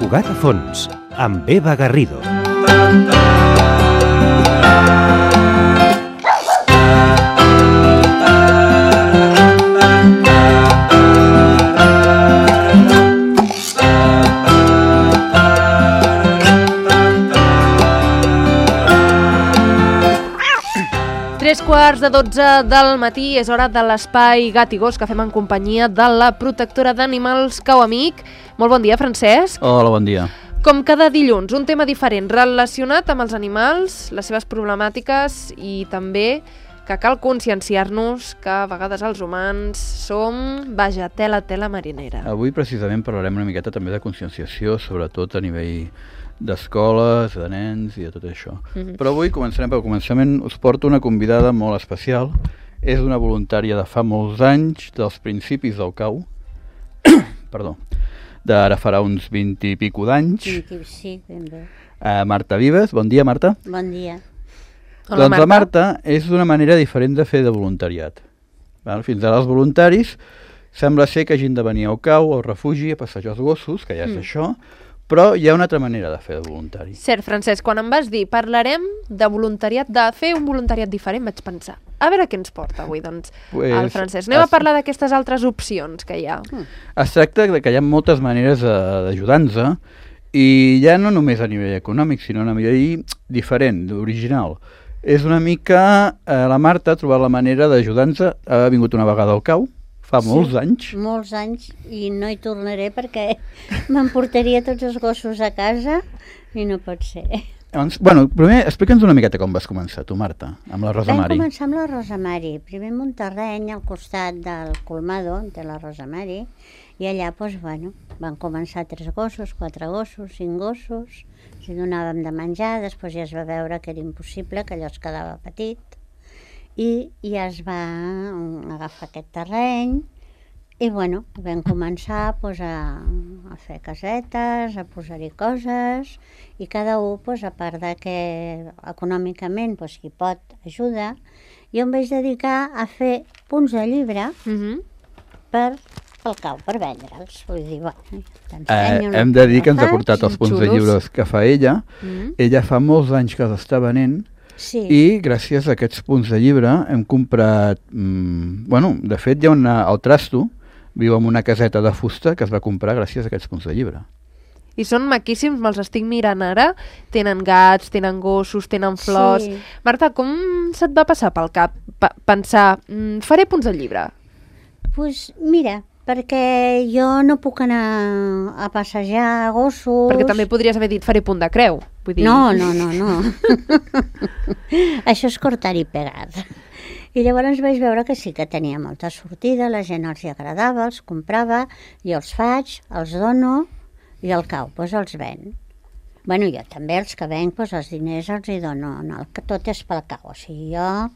Cugat a fons, amb Eva Garrido. Tres quarts de 12 del matí, és hora de l'espai Gat i Gos que fem en companyia de la protectora d'animals Cau Amic. Molt bon dia, Francesc. Hola, bon dia. Com cada dilluns, un tema diferent relacionat amb els animals, les seves problemàtiques i també que cal conscienciar-nos que a vegades els humans som, vaja, tela marinera. Avui precisament parlarem una miqueta també de conscienciació, sobretot a nivell d'escoles, de nens i de tot això. Però avui començarem pel començament. Us porto una convidada molt especial. És una voluntària de fa molts anys, dels principis del Cau. Perdó. D'ara farà uns 20 i pico d'anys. Sí, ben bé. Marta Vives. Bon dia, Marta. Bon dia. Hola, Doncs la Marta és d'una manera diferent de fer de voluntariat. Fins ara els voluntaris sembla ser que hagin de venir al Cau, al refugi, a passejar els gossos, que ja és això, però hi ha una altra manera de fer de voluntari. Cert, Francesc, quan em vas dir parlarem de voluntariat, de fer un voluntariat diferent, vaig pensar, a veure què ens porta avui, doncs, el Francesc. Anem a parlar d'aquestes altres opcions que hi ha. Es tracta de que hi ha moltes maneres d'ajudar-nos i ja no només a nivell econòmic, sinó a nivell diferent, original. És una mica, la Marta ha trobat la manera d'ajudar-nos, ha vingut una vegada al Cau, fa molts anys. Molts anys, i no hi tornaré perquè m'emportaria tots els gossos a casa i no pot ser. Llavors, bueno, primer explica'ns una miqueta com vas començar, tu, Marta, amb la Rosa Mari. Vam començar amb la Rosa Mari, primer en un terreny al costat del Colmado, de la Rosa Mari, i allà, doncs, bueno, van començar 3 gossos, 4 gossos, 5 gossos, els donàvem de menjar, després ja es va veure que era impossible, que allò es quedava petit, i ja es va agafar aquest terreny i bueno, vam començar doncs, a fer casetes, a posar-hi coses i cada un, doncs, a part de que econòmicament doncs, qui pot ajuda, jo em vaig dedicar a fer punts de llibre pel Cau, per vendre'ls. Vull dir, bueno, hem de dir que ens ha portat els punts de llibres que fa ella. Ella fa molts anys que els està venent. Sí. I gràcies a aquests punts de llibre hem comprat, bueno, de fet hi ha al Trasto, viu en una caseta de fusta que es va comprar gràcies a aquests punts de llibre. I són maquíssims, me'ls estic mirant ara, tenen gats, tenen gossos, tenen flors. Sí. Marta, com se't va passar pel cap pensar, faré punts de llibre? Doncs mira, perquè jo no puc anar a passejar gossos... Perquè també podries haver dit, faré punt de creu. Vull dir... No. Això és cortar i pegar. I llavors vaig veure que sí que tenia molta sortida, la gent els hi agradava, els comprava, jo els faig, els dono i al Cau, doncs els ven. Bueno, jo també els que venc, doncs els diners els hi dono, no, tot és pel Cau, o sigui, jo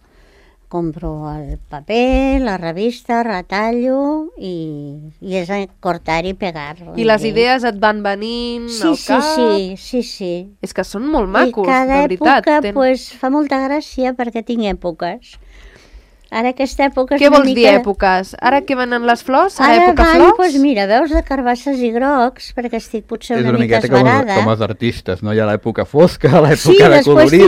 compro el paper, la revista, retallo i és cortar i pegar. I les idees et van venint al cap? Sí. És que són molt macos, de veritat. I cada època pues, fa molta gràcia perquè tinc èpoques. Ara aquesta època és Què vols dir, èpoques? Ara que venen les flors? Ara època van, flors? Doncs mira, veus de carbasses i grocs, perquè estic potser una mica esbarada. Com els artistes, no? Hi ha l'època fosca, l'època de colorido.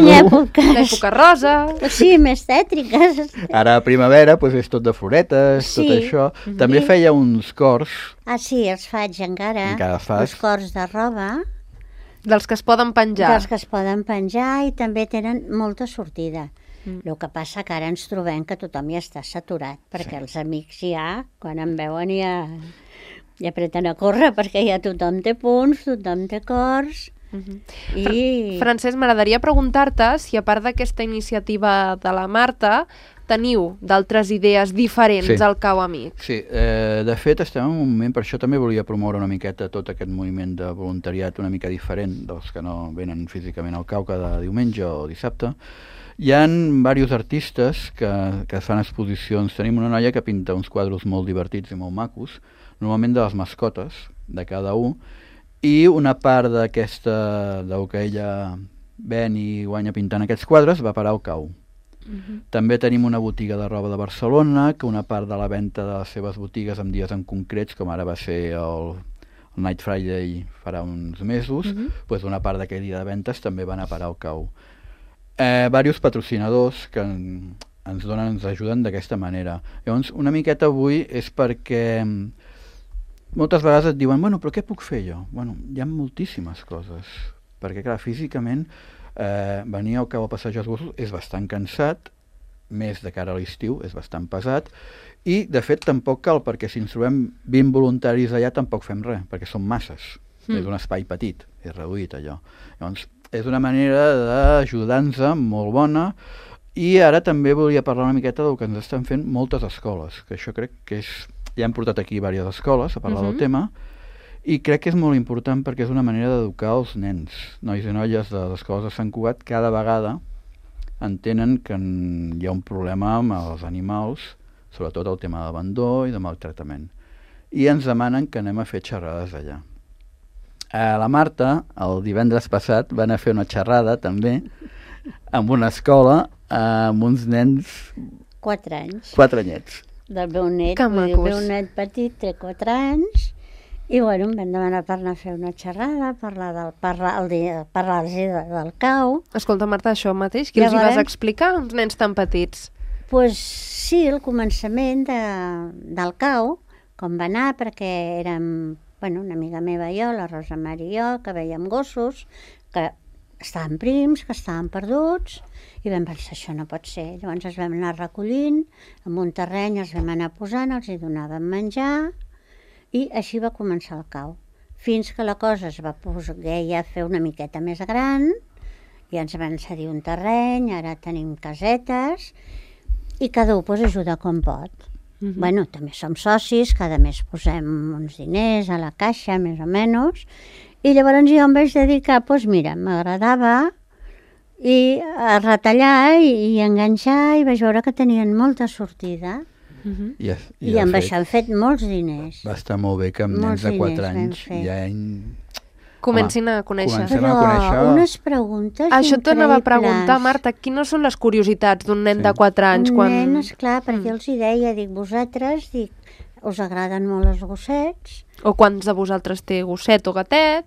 L'època rosa. Sí, més tètriques. Ara a primavera doncs és tot de floretes, tot això. També feia uns cors. Ah, sí, els faig encara. Fas. Els cors de roba. Dels que es poden penjar. Dels que es poden penjar i també tenen molta sortida. El que passa que ara ens trobem que tothom ja està saturat, perquè els amics ja, quan em veuen ja apreten a córrer, perquè ja tothom té punts, tothom té cors. Francesc, m'agradaria preguntar-te si a part d'aquesta iniciativa de la Marta teniu d'altres idees diferents al Cau Amic. Sí, de fet estem en un moment, per això també volia promoure una miqueta tot aquest moviment de voluntariat una mica diferent dels que no venen físicament al Cau cada diumenge o dissabte. Hi ha diversos artistes que fan exposicions. Tenim una noia que pinta uns quadres molt divertits i molt macos, normalment de les mascotes de cada un, i una part d'aquesta, del que ella ven i guanya pintant aquests quadres, va parar al Cau. També tenim una botiga de roba de Barcelona, que una part de la venda de les seves botigues en dies en concrets, com ara va ser el Night Friday farà uns mesos, doncs una part d'aquell dia de ventes també van a parar al cau. Diversos patrocinadors que ens ajuden d'aquesta manera. Llavors, una miqueta avui és perquè moltes vegades et diuen, bueno, però què puc fer jo? Bueno, hi ha moltíssimes coses, perquè clar, físicament venir al cau a passejar els gossos és bastant cansat, més de cara a l'estiu, és bastant pesat, i de fet tampoc cal, perquè si ens trobem 20 voluntaris allà tampoc fem res, perquè són masses, és un espai petit, és reduït allò. Llavors, és una manera d'ajudar-nos molt bona, i ara també volia parlar una miqueta del que ens estan fent moltes escoles, que això crec que és... Ja hem portat aquí diverses escoles a parlar del tema, i crec que és molt important perquè és una manera d'educar els nens, nois i noies de les escoles de Sant Cugat, cada vegada entenen que hi ha un problema amb els animals, sobretot el tema d'abandó i de maltractament. I ens demanen que anem a fer xerrades allà. La Marta, el divendres passat, va anar a fer una xerrada també en una escola amb uns nens... 4 anys. 4 anyets. Del meu net, Que el macos. meu net petit té 4 anys, i bueno, em van demanar per anar a fer una xerrada, parlar-los del cau. Escolta, Marta, això mateix, qui els hi vas Llavors- explicar, uns nens tan petits? Pues sí, el començament del cau, com va anar, perquè érem, bueno, una amiga meva i jo, la Rosa Mari i jo, que veiem gossos, que estaven prims, que estaven perduts, i vam pensar, això no pot ser. Llavors els vam anar recollint, en un terreny els vam anar posant, els hi donàvem menjar, i així va començar el cau. Fins que la cosa es va poder ja fer una miqueta més gran, i ens van cedir un terreny, ara tenim casetes, i cada un ajuda com pot. Bueno, també som socis, cada mes posem uns diners a la caixa, més o menys, i llavors jo em vaig dedicar, doncs mira, m'agradava a retallar i enganxar, i vaig veure que tenien molta sortida, i amb això hem fet molts diners. Va estar molt bé que amb nens Molts de 4 diners vam anys fer. ja Comencin a conèixer. comencem a Però conèixer... unes preguntes Això et tornava a preguntar, increïbles. Marta, quines són les curiositats d'un nen Sí. de 4 anys? Un Quan... nen, esclar, perquè els hi deia, dic, vosaltres, dic, us agraden molt els gossets, O quants de vosaltres té gosset o gatet?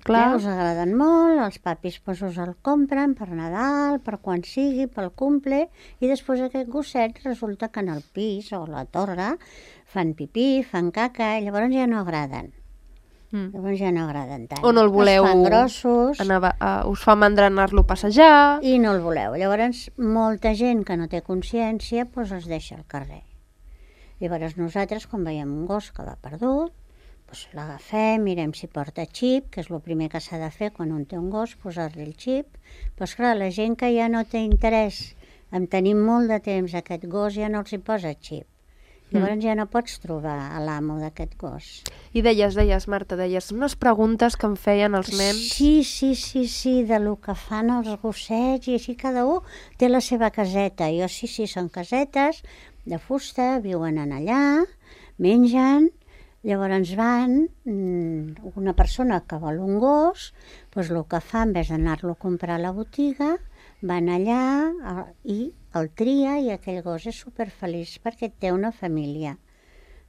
Clar. us agraden molt, els papis pues, us el compren per Nadal, per quan sigui, pel cumple, i després aquest gosset resulta que en el pis o a la torre fan pipí, fan caca, i llavors ja no agraden. Llavors ja no agraden tant. O no el voleu... Es fan grossos us fa mandra anar-lo a passejar. i no el voleu. Llavors, molta gent que no té consciència doncs els deixa al carrer. Llavors nosaltres, quan veiem un gos que va perdut, doncs l'agafem, mirem si porta xip, que és el primer que s'ha de fer quan un té un gos, posar-li el xip. Però clar, la gent que ja no té interès en tenir molt de temps aquest gos ja no els hi posa xip. Llavors ja no pots trobar a l'amo d'aquest gos. I deies, Marta, unes preguntes que em feien els nens. Sí, de lo que fan els gossets, i així cada un té la seva caseta. Jo sí, són casetes de fusta, viuen en allà, mengen, llavors van, una persona que vol un gos, doncs el que fa, en vez d'anar-lo a comprar a la botiga, van allà i el tria, i aquell gos és superfeliç perquè té una família.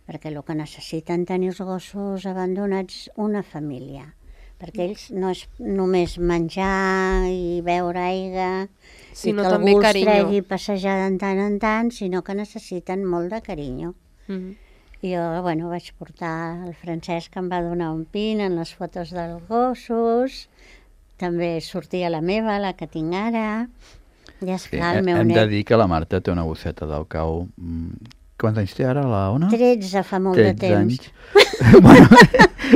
Perquè el que necessiten tenir els gossos abandonats, una família. Perquè ells no és només menjar i beure aigua, Sinó i que també algú els carinyo. tregui passejar de tant en tant, sinó que necessiten molt de carinyo. I jo, bueno, vaig portar el Francesc, que em va donar un pin en les fotos dels gossos, també sortia la meva, la que tinc ara, i esclar, el meu Hem de net. dir que la Marta té una gosseta del cau. Quants anys té ara, la Ona? 13 fa molt de 13 temps. anys. Bueno,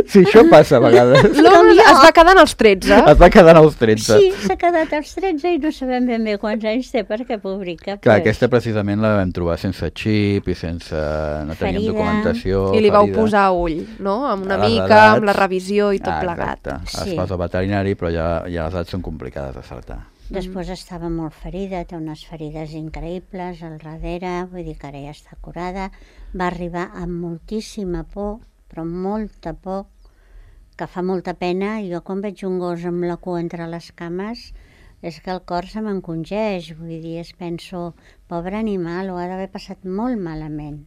sí, això passa a vegades. L'Om es va quedar als 13. Es va quedar als 13. Sí, s'ha quedat als 13 i no sabem ben bé quants anys té perquè publica. Clar, pues. aquesta precisament la vam trobar sense xip i sense... no teníem Ferida. documentació. I li vau ferida. posar ull, no? Amb una A les mica, edats. amb la revisió i tot plegat. Exacte. Sí. Es posa al veterinari, però ja les edats són complicades d'acertar. Després estava molt ferida, té unes ferides increïbles al darrere, vull dir que ara ja està curada. Va arribar amb moltíssima por, però molta por, que fa molta pena. Jo quan veig un gos amb la cua entre les cames, és que el cor se m'encongeix, vull dir, penso, pobre animal, ho ha d'haver passat molt malament.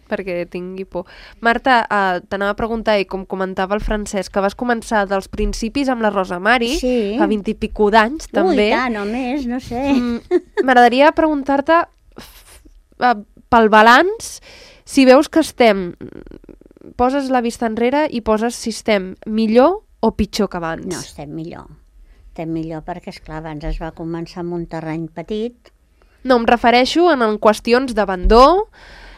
perquè tingui por. Marta, t'anava a preguntar, i com comentava el Francesc, que vas començar dels principis amb la Rosa Mari, Sí. fa 20 i pico d'anys, també. Ui, tant o més, no sé. M'agradaria preguntar-te pel balanç, si veus que poses la vista enrere i poses si estem millor o pitjor que abans. No, estem millor. Estem millor perquè, esclar, abans es va començar amb un terreny petit. No, em refereixo en qüestions d'abandó,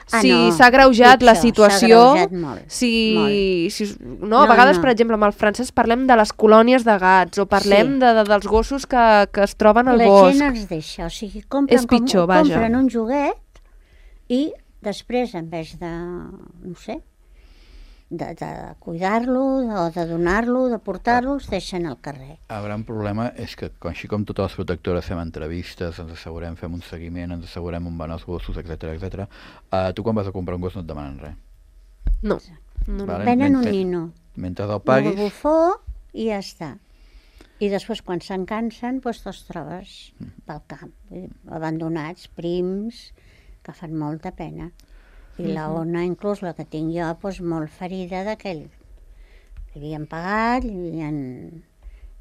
si no, s'ha agreujat la pitjor, situació, s'ha agreujat molt, no, a vegades, per exemple, amb el Francesc parlem de les colònies de gats, o parlem dels gossos que es troben al la bosc. gent els deixa, o sigui, compren, És pitjor, vaja. compren un joguet i després, en vez de, no sé, de cuidar-lo o de donar-lo, de portar-lo, els deixen al carrer. El gran problema és que, així com totes les protectores fem entrevistes, ens assegurem, fem un seguiment, ens assegurem on van els gossos, etc. Tu quan vas a comprar un gos no et demanen res. No. Vale? Venen un nino, Mentre el un paguis, bufó i ja està. I després, quan se'n cansen, doncs te'ls trobes pel camp, abandonats, prims, que fan molta pena. I la Ona, inclús la que tinc jo, doncs molt ferida d'aquell. Havien pagat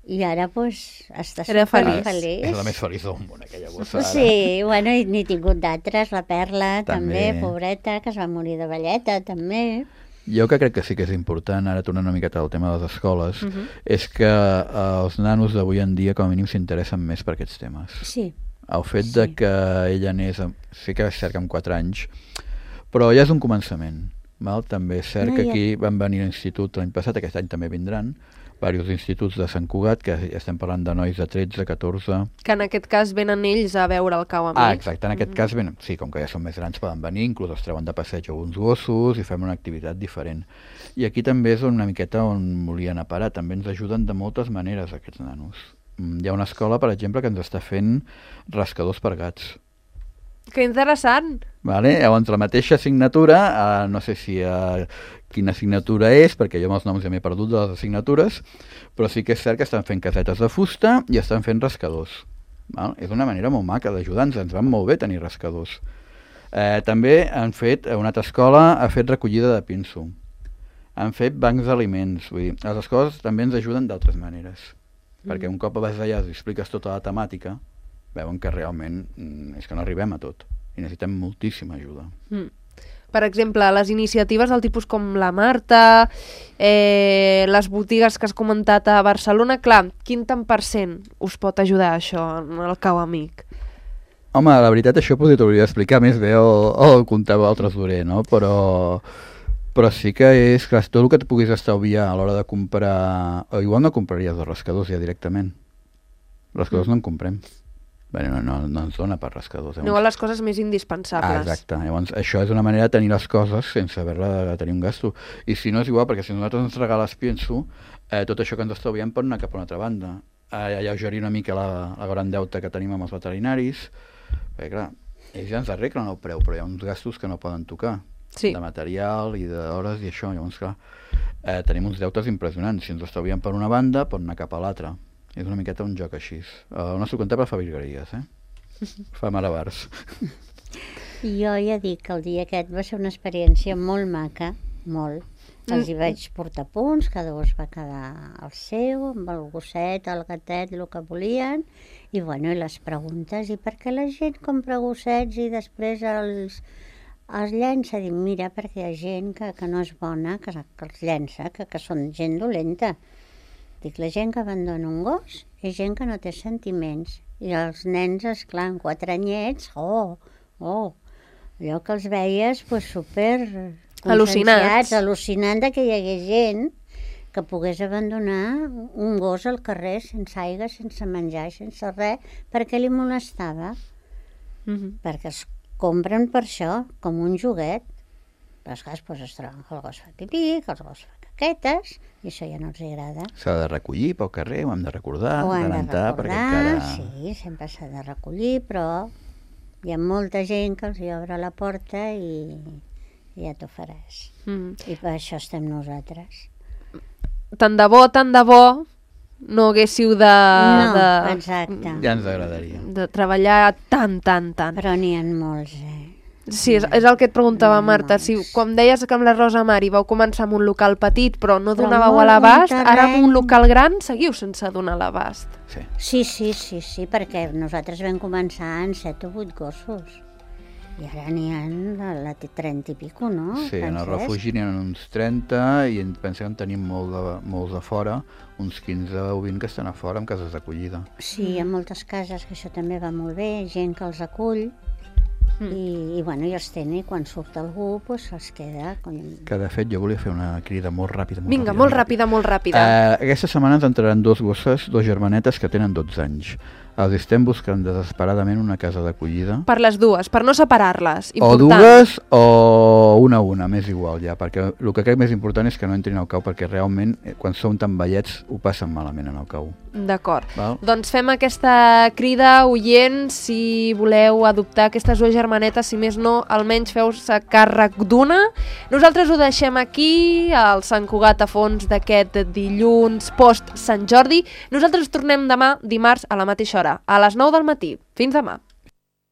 i ara doncs està Era feliç. és la més feliç del món, aquella gossa. Ara. Sí, bueno, i n'he tingut d'altres, la Perla També. també, pobreta, que es va morir de velleta, també. Jo que crec que sí que és important, ara tornant una miqueta al tema de les escoles, és que els nanos d'avui en dia com a mínim s'interessen més per aquests temes. Sí. El fet de que ella anés, sí que és cert que amb 4 anys, però ja és un començament. Val? També és cert No, que ja- aquí van venir a l'institut l'any passat, aquest any també vindran, diversos instituts de Sant Cugat, que estem parlant de nois de 13, 14... Que en aquest cas venen ells a veure el cau amic. exacte, en aquest cas, sí, com que ja són més grans poden venir, inclús els treuen de passeig alguns gossos i fem una activitat diferent. I aquí també és una miqueta on volien a parar, també ens ajuden de moltes maneres aquests nanos. Hi ha una escola, per exemple, que ens està fent rascadors per gats. Que interessant! Vale? Llavors, la mateixa assignatura, no sé si quina assignatura és, perquè jo amb els noms ja m'he perdut de les assignatures, però sí que és cert que estan fent casetes de fusta i estan fent rascadors. Val? És una manera molt maca d'ajudar-nos, ens van molt bé tenir rascadors. També han fet, una altra escola ha fet recollida de pinso, han fet bancs d'aliments, vull dir, les escoles també ens ajuden d'altres maneres, perquè un cop vas allà i expliques tota la temàtica, veuen que realment és que no arribem a tot i necessitem moltíssima ajuda. Per exemple, les iniciatives del tipus com la Marta, les botigues que has comentat a Barcelona, clar, quin tant per cent us pot ajudar això en el cau amic? Home, la veritat això potser t'hauria d'explicar més bé o comptava el tresorer, no? Però sí que és, clar, tot el que et puguis estalviar a l'hora de comprar... O igual no compraries els rascadors ja directament. Rascadors no en comprem. Bé, no ens dona per rascadors. Aneu a les coses més indispensables. Exacte. Llavors, això és una manera de tenir les coses sense haver-la de tenir un gasto. I si no és igual, perquè si nosaltres ens regales pienso, tot això que ens estalviem pot anar cap a una altra banda. Alleugerir una mica la gran deute que tenim amb els veterinaris, perquè clar, ells ja ens arreglen el preu, però hi ha uns gastos que no poden tocar. Sí. De material i d'hores i això. Llavors, clar, tenim uns deutes impressionants. Si ens estalviem per una banda, pot anar cap a l'altra. És una miqueta un joc així. El nostre comptable fa virgueries, fa malabars. Jo ja dic que el dia aquest va ser una experiència molt maca, molt. Els hi vaig portar punts, cada gos va quedar al seu, amb el gosset, el gatet, el que volien, i bueno, i les preguntes, i per què la gent compra gossets i després els llença? Dic, mira, perquè hi ha gent que no és bona, que els llença, que són gent dolenta. Dic, la gent que abandona un gos és gent que no té sentiments. I els nens, esclar, amb 4 anyets, allò que els veies pues, super Al·lucinats. Al·lucinant que hi hagués gent que pogués abandonar un gos al carrer sense aigua, sense menjar, sense res, perquè li molestava. Perquè els compren per això, com un joguet. Però esclar, pues, es troben que el gos fa pipí, que el gos fa caquetes, i això ja no els agrada. S'ha de recollir pel carrer, ho hem de recordar, Ho han de adelantar, perquè recordar, encara... sí, sempre s'ha de recollir, però hi ha molta gent que els hi obre la porta i ja t'ho faràs. I per això estem nosaltres. Tant de bo, no haguéssiu Exacte. Ja ens agradaria. de treballar tant. Però n'hi ha molts, Sí, és el que et preguntava, Marta. Si, com deies que amb la Rosa Mari vau començar amb un local petit però no Però donàveu molt a l'abast, bon ara amb un terreny. local gran seguiu sense donar a l'abast. Sí. Sí, perquè nosaltres vam començar en 7 o 8 gossos. I ara n'hi ha la 30 i pico, no? Sí, en el Francesc? refugi n'hi ha uns 30 i pensem que en tenim molts de fora, uns 15 o 20 que estan a fora amb cases d'acollida. Sí, hi ha moltes cases que això també va molt bé, gent que els acull i bueno, i els tenen i quan surt algú doncs els queda. Que de fet jo volia fer una crida molt ràpida. Vinga, molt ràpida. Aquesta setmana ens entraran 2 gosses, 2 germanetes que tenen 12 anys. Els estem buscant desesperadament una casa d'acollida. Per les dues, per no separar-les. O Important. dues o una, m'és igual ja, perquè el que crec més important és que no entrin al cau, perquè realment quan són tan vellets ho passen malament en el cau. D'acord. Val? Doncs fem aquesta crida, oients, si voleu adoptar aquestes 2 germanetes, si més no, almenys feu-se càrrec d'una. Nosaltres ho deixem aquí, al Sant Cugat a fons d'aquest dilluns post Sant Jordi. Nosaltres tornem demà, dimarts, a la mateixa hora, a les 9 del matí. Fins demà.